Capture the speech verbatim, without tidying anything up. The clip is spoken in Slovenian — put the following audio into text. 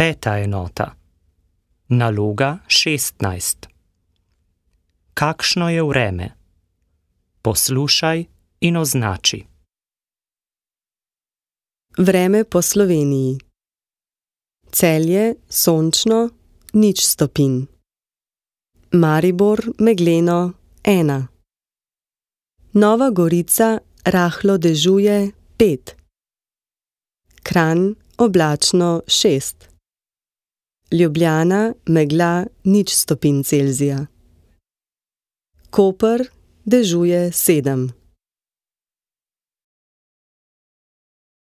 Peta enota. Naloga šestnajst. Kakšno je vreme? Poslušaj in označi. Vreme po Sloveniji. Celje sončno, nič stopinj. Maribor megleno, ena. Nova Gorica rahlo dežuje, pet. Kranj oblačno, šest. Ljubljana megla, nič stopinj Celzija. Koper dežuje, sedem.